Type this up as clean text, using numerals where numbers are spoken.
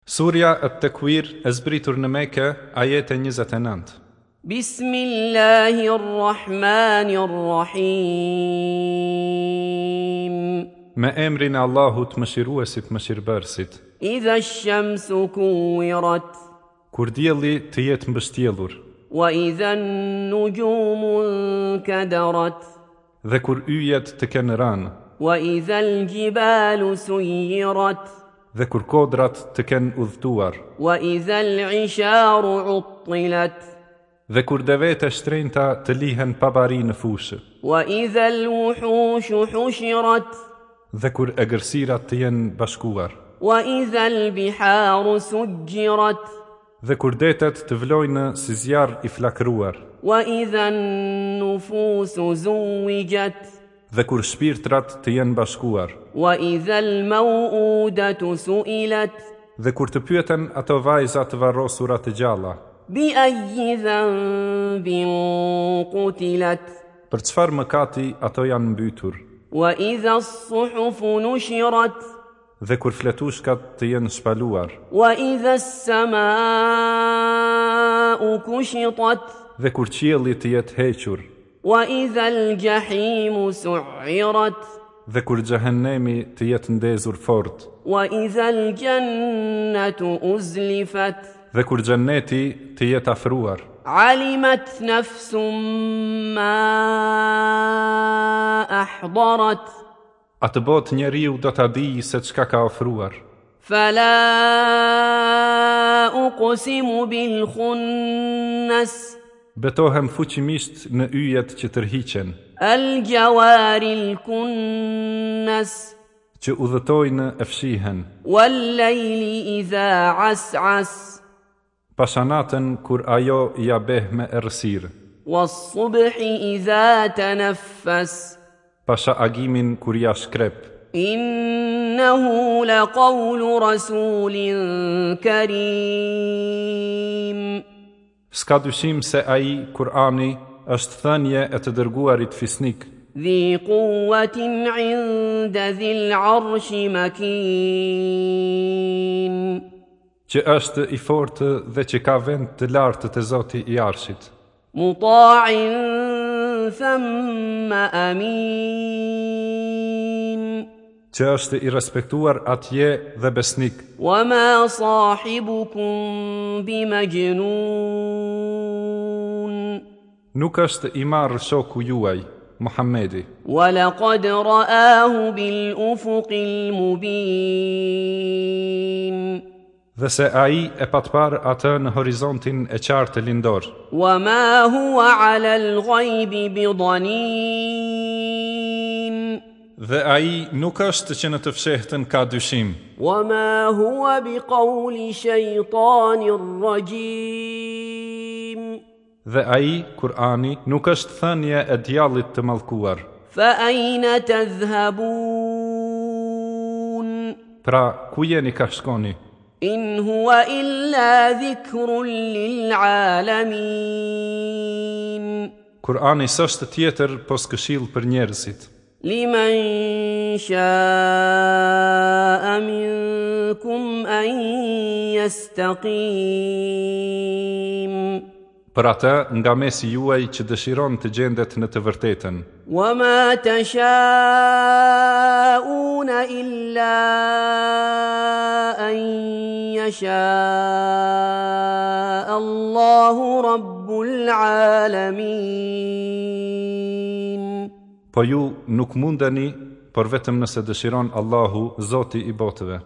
Surja At-Tekuir e zbritur në Mekë, ajete 29. Bismillahi Rrahmani Rrahim. Me emrin e Allahut, Mëshiruesit, Mëshirëbërësit. Idha ash-shamsu kuwirat. Kur dielli të jetë mbështjellur. Wa idha an-nujumu nkadarat. Dhe kur yjet të kenë rënë. Wa idha al-jibalu suyirat. Dhe kur kodrat të kenë udhëtuar. Wa idha al-isharu uttilat. Dhe kur devetë e shtrenjta të lihen pa bari në fushë. Wa idha al-wuhushu hushirat. Dhe kur egërsirat të jenë bashkuar. Wa idha al-biharu sujjirat. Dhe kur detet të vlojnë si zjarr i flakëruar. Wa idha an-nufusu zuwijat. Dhe kur shpirtrat të jenë bashkuar. Wa idha al-maw'udatu su'ilat. Dhe kur të pyeten ato vajza të varrosura të gjalla. Bi ayyi dhanbin qutilat. Për çfarë mëkati ato janë mbytur. Wa idha as-suhufu nushirat. Dhe kur fletushkat të jenë shpaluar. Wa idha as-sama'u kushitat. Dhe kur qielli të jetë hequr. Wa idha al-jahimu su'irat. Dhe kur xhehennemi të jetë ndezur fort. Wa idha al-jannatu uzlifat. Dhe kur xhenneti të jetë afruar. Alimat nafsum ma ahdarat. Atëbotë njeriu do ta dijë se çka ka ofruar. Fala uqsimu bil khunnas. Betohem fuqimisht në yjet që tërhiqen. Al jawaril kunnas. Që udhëtojnë e fshihen. Wal layli idha as'as. Pasha natën kur ajo ia beh me errësirë. Was-subhi idha tanaffas. Pasha agimin kur ia shkrep. Innahu laqawlu rasulin karim. S'ka dyshim se ai, Kur'ani, është thënie e të dërguarit fisnik. Dhi quwwatin 'inda dhil 'arshi makin. Që është i fortë dhe që ka vend të lartë te Zoti i Arshit. Muta'in thumma amin. Që është i respektuar atje dhe besnik. Wa ma sahibukum bi majnun. Nuk është i marrë shoku juaj, Muhammedi. Wa laqad ra'ahu bil ufuqil mubin. Dhe se ai e pat parë atë në horizontin e qartë lindor. Wa ma huwa 'ala al-ghaybi bi dhanin. Dhe ai nuk është që në të fshehtën ka dyshim. Wa ma huwa bi qawli shaytanir rajim. Dhe ai, Kur'ani, nuk është thënie e djallit të mallkuar. Fa ayna tadhhabun? Pra, ku jeni kah shkoni? In huwa illa dhikrun lil alamin. Kur'ani s'është tjetër pos këshillë për njerëzit. Liman sha'a minkum an yastaqim. Për atë nga mesi juaj që dëshiron të gjendet në të vërtetën. Wa ma tasha'una illa an yasha Allahu rabbul alamin. Po ju nuk mundeni, por vetëm nëse dëshiron Allahu, Zoti i botëve.